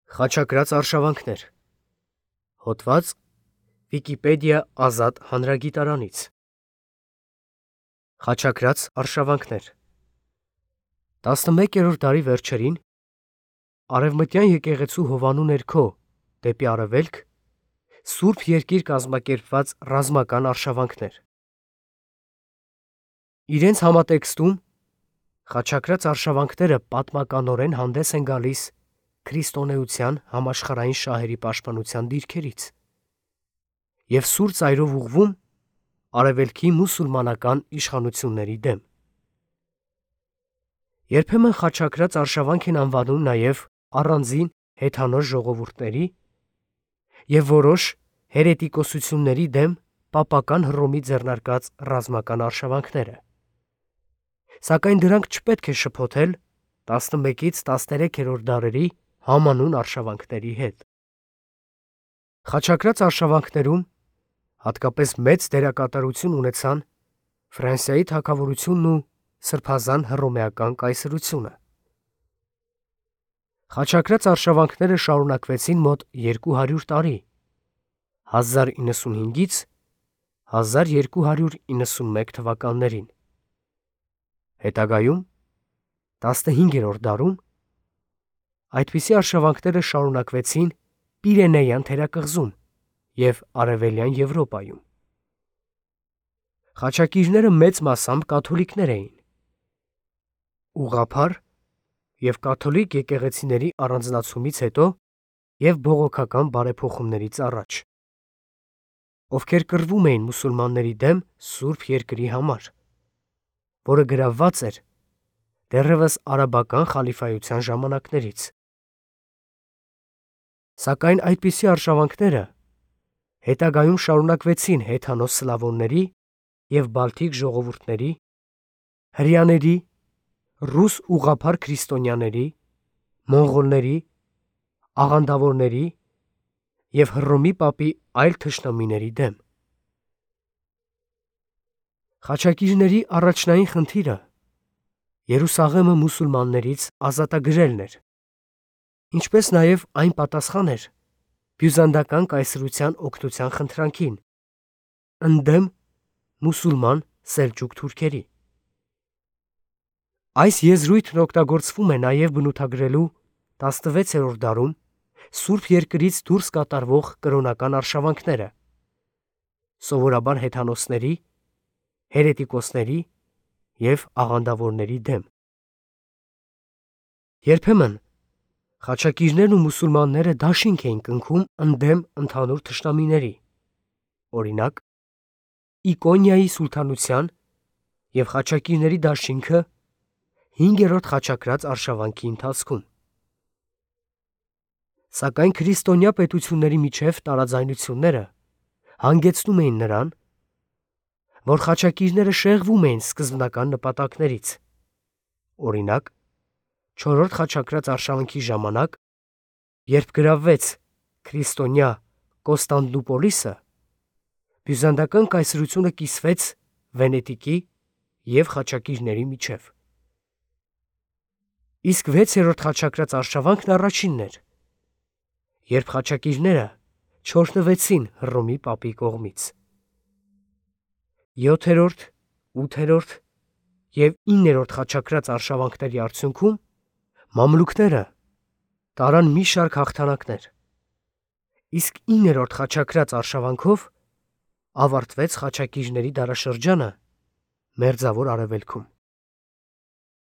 Խաչակրաց արշավանքներ։ Հոդված Վիկիպեդիա ազատ հանրագիտարանից։ Խաչակրաց արշավանքներ 11-րդ դարի վերջերին Արևմտյան եկեղեցու հովանու ներքո դեպի արևելք Սուրբ Երկիր կազմակերպված ռազմական արշավանքներ։ Իրենց համատեքստում խաչակրաց արշավանքները պատմականորեն հանդես են գալիս քրիստոնեության համաշխարհային շահերի պաշտպանության դիրքերից և սուր ծայրով ուղղվում արևելքի մուսուլմանական իշխանությունների դեմ։ Երբեմն խաչակրաց արշավանք են անվանում նաև առանձին հեթանոս ժողովուրդների և որոշ հերետիկոսությունների դեմ պապական Հռոմի ձեռնարկած ռազմական արշավանքները, սակայն դրանք չպետք է շփոթել 11-ից 13-րդ դարերի համանուն արշավանքների հետ։ Խաչակրաց արշավանքներում հատկապես մեծ դերակատարություն ունեցան Ֆրանսիայի թագավորությունն ու սրբազան հռոմեական կայսրությունը։ Խաչակրաց արշավանքները շարունակվեցին մոտ 200 տարի, 1095-ից 1291 թվականներին։ Հետագայում 15-րդ դարում այդպիսի արշավանքները շարունակվեցին Պիրենեյան թերակղզում և Արևելյան Եվրոպայում։ Խաչակիրները մեծ մասամբ կաթոլիկներ էին։ Ուղղափառ և կաթոլիկ եկեղեցիների առանձնացումից հետո և բողոքական բարեփոխումներից առաջ, ովքեր կռվում էին մուսուլմանների դեմ Սուրբ Երկրի համար, որը գրավված էր դեռևս արաբական խալիֆայության ժամանակներից։ Սակայն այդպիսի արշավանքները հետագայում շարունակվեցին հեթանոս սլավոնների և բալթիկ ժողովուրդների, հրեաների, ռուս ուղղափառ քրիստոնյաների, մոնղոլների, աղանդավորների և Հռոմի պապի այլ թշնամիների դեմ։ Խաչակիրների առաջնային խնդիրը Երուսաղեմը մուսուլմաններից ազատագրելն էր, ինչպես նաև այն պատասխան էր բյուզանդական կայսրության օգնության խնդրանքին ընդդեմ մուսուլման սելջուկ թուրքերի։ Այս եզրույթն օգտագործվում է նաև բնութագրելու 16-րդ դարում Սուրբ Երկրից դուրս կատարվող կրոնական արշավանքները, սովորաբար հեթանոսների, հերետիկոսների և աղանդավորների դեմ։ Երբեմն խաչակիրներն ու մուսուլմանները դաշինք էին կնքում ընդդեմ ընդհանուր թշնամիների, օրինակ Իկոնիայի սուլթանության և խաչակիրների դաշինքը 5-րդ խաչակրաց արշավանքի ընթացքում։ Սակայն քրիստոնյա պետությունների միջև տարաձայնությունները հանգեցնում էին նրան, որ խաչակիրները շեղվում էին սկզբնական նպատակներից, օրինակ Չորրորդ խաչակրաց արշավանքի ժամանակ, երբ գրավվեց քրիստոնյա Կոստանդնուպոլիսը, բյուզանդական կայսրությունը կիսվեց Վենետիկի և խաչակիրների միջև։ Իսկ 6-րդ խաչակրաց արշավանքն առաջինն էր, երբ խաչակիրները չօրհնվեցին Հռոմի պապի կողմից։ 7-րդ, 8-րդ և 9-րդ խաչակրաց արշավանքների արդյունքում մամլուքները տարան մի շարք հաղթանակներ, իսկ 9-րդ խաչակրաց արշավանքով ավարտվեց խաչակիրների դարաշրջանը Մերձավոր Արևելքում։